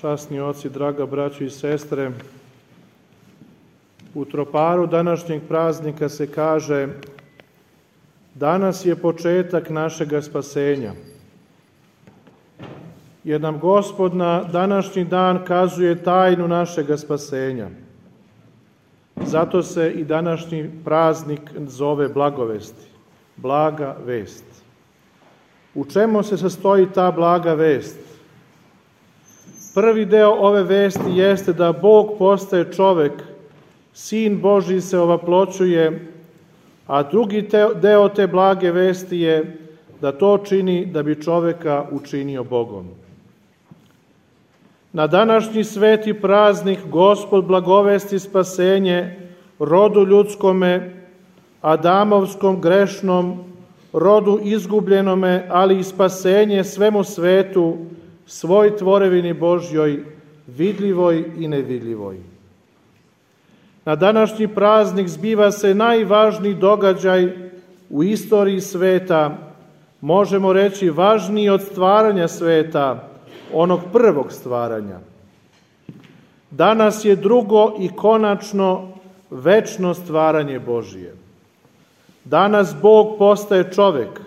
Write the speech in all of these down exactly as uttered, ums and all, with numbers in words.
časni oci, draga braćo i sestre, u troparu današnjeg praznika se kaže: danas je početak našega spasenja. Jer nam Gospod na današnji dan kazuje tajnu našega spasenja. Zato se i današnji praznik zove Blagovesti, blaga vest. U čemu se sastoji ta blaga vest? Prvi deo ove vesti jeste da Bog postaje čovek, Sin Božji se ovaploćuje, a drugi deo te blage vesti je da to čini da bi čoveka učinio Bogom. Na današnji sveti praznik Gospod blagovesti spasenje rodu ljudskome, Adamovskom grešnom, rodu izgubljenome, ali i spasenje svemu svetu, svoj tvorevini Božjoj, vidljivoj i nevidljivoj. Na današnji praznik zbiva se najvažniji događaj u istoriji sveta, možemo reći važniji od stvaranja sveta, onog prvog stvaranja. Danas je drugo i konačno večno stvaranje Božije. Danas Bog postaje čovek,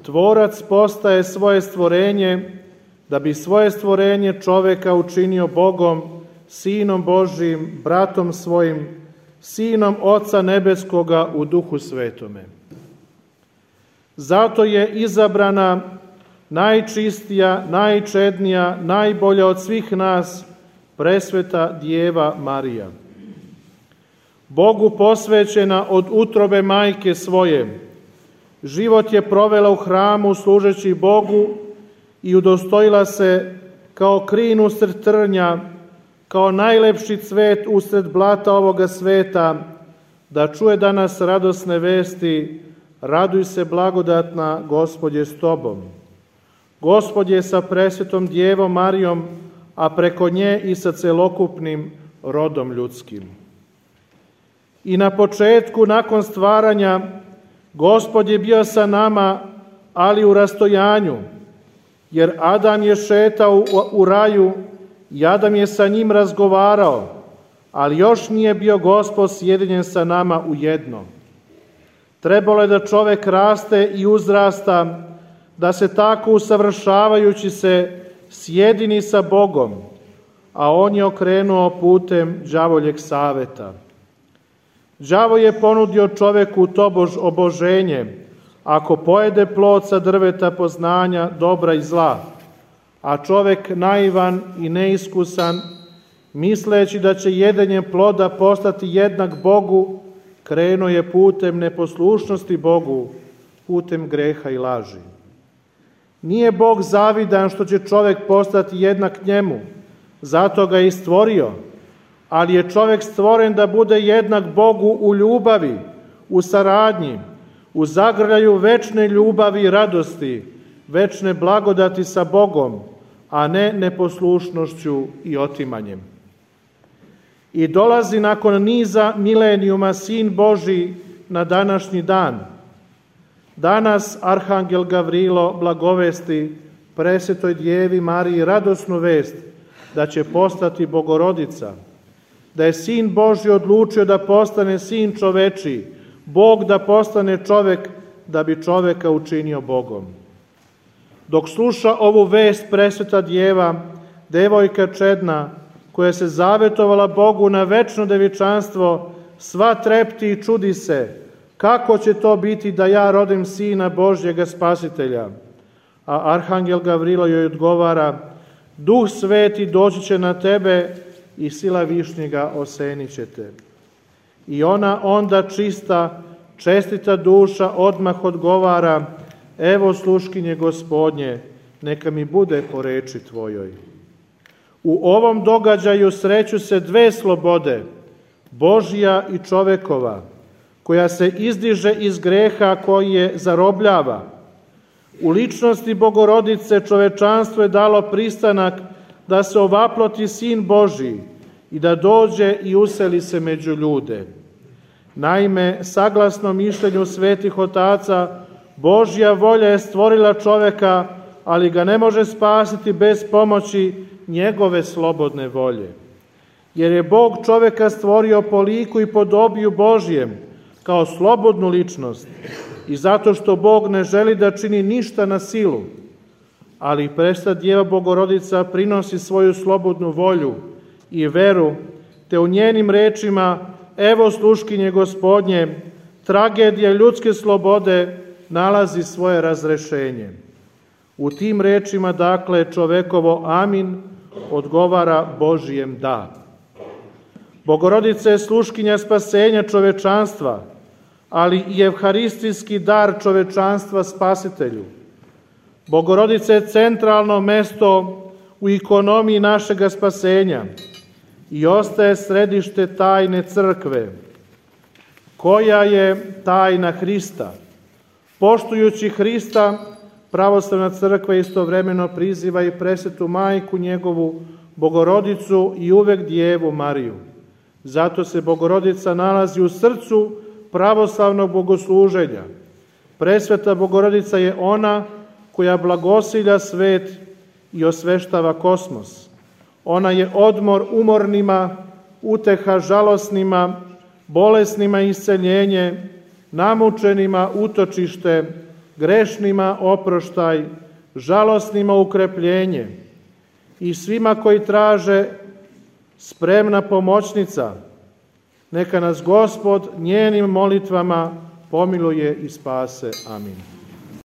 tvorac postaje svoje stvorenje, da bi svoje stvorenje čoveka učinio Bogom, Sinom Božijim, bratom svojim, Sinom Oca Nebeskoga u Duhu Svetome. Zato je izabrana najčistija, najčednija, najbolja od svih nas, presveta Djeva Marija. Bogu posvećena od utrobe majke svoje, život je provela u hramu služeći Bogu i udostojila se kao krin usred trnja, kao najlepši cvet usred blata ovoga sveta, da čuje danas radosne vesti: raduj se blagodatna, Gospod je s tobom. Gospod je sa presvetom Djevom Marijom, a preko nje i sa celokupnim rodom ljudskim. I na početku, nakon stvaranja, Gospod je bio sa nama, ali u rastojanju, jer Adam je šetao u, u raju i Adam je sa njim razgovarao, ali još nije bio Gospod sjedinjen sa nama u jedno. Trebalo je da čovek raste i uzrasta, da se tako usavršavajući se sjedini sa Bogom, a on je okrenuo putem đavoljeg saveta. Đavo je ponudio čoveku tobož oboženje, ako pojede plod sa drveta poznanja dobra i zla, a čovek naivan i neiskusan, misleći da će jedenjem ploda postati jednak Bogu, krenuo je putem neposlušnosti Bogu, putem greha i laži. Nije Bog zavidan što će čovek postati jednak njemu, zato ga je i stvorio, ali je čovek stvoren da bude jednak Bogu u ljubavi, u saradnji, u zagrljaju večne ljubavi i radosti, večne blagodati sa Bogom, a ne neposlušnošću i otimanjem. I dolazi nakon niza milenijuma Sin Božji na današnji dan. Danas Arhangel Gavrilo blagovesti presvetoj Djevi Mariji radosnu vest da će postati Bogorodica, da je Sin Božji odlučio da postane Sin čovečiji, Bog da postane čovek, da bi čoveka učinio Bogom. Dok sluša ovu vest presveta Djeva, devojka čedna, koja se zavetovala Bogu na večno devičanstvo, sva trepti i čudi se: kako će to biti da ja rodim Sina Božjega Spasitelja? A Arhangel Gavrilo joj odgovara: Duh Sveti doći će na tebe i sila Višnjega osenit će te. I ona onda čista, čestita duša odmah odgovara: evo sluškinje Gospodnje, neka mi bude po reči tvojoj. U ovom događaju sreću se dve slobode, Božja i čovekova, koja se izdiže iz greha koji je zarobljava. U ličnosti Bogorodice čovečanstvo je dalo pristanak da se ovaploti Sin Božji i da dođe i useli se među ljude. Naime, saglasno mišljenju svetih otaca, Božja volja je stvorila čoveka, ali ga ne može spasiti bez pomoći njegove slobodne volje. Jer je Bog čoveka stvorio po liku i podobiju Božjem, kao slobodnu ličnost, i zato što Bog ne želi da čini ništa na silu, ali presta Djeva Bogorodica prinosi svoju slobodnu volju i veru, te u njenim rečima, evo sluškinje Gospodnje, tragedija ljudske slobode nalazi svoje razrešenje. U tim rečima, dakle, čovekovo amin odgovara Božijem da. Bogorodica je sluškinja spasenja čovečanstva, ali i evharistijski dar čovečanstva Spasitelju. Bogorodica je centralno mesto u ikonomiji našega spasenja i ostaje središte tajne crkve, koja je tajna Hrista. Poštujući Hrista, pravoslavna crkva istovremeno priziva i presvetu majku njegovu, Bogorodicu i uvek Djevu Mariju. Zato se Bogorodica nalazi u srcu pravoslavnog bogosluženja. Presveta Bogorodica je ona koja blagosilja svet i osveštava kosmos. Ona je odmor umornima, uteha žalosnima, bolesnima isceljenje, namučenima utočište, grešnima oproštaj, žalosnima ukrepljenje i svima koji traže spremna pomoćnica. Neka nas Gospod njenim molitvama pomiluje i spase. Amin.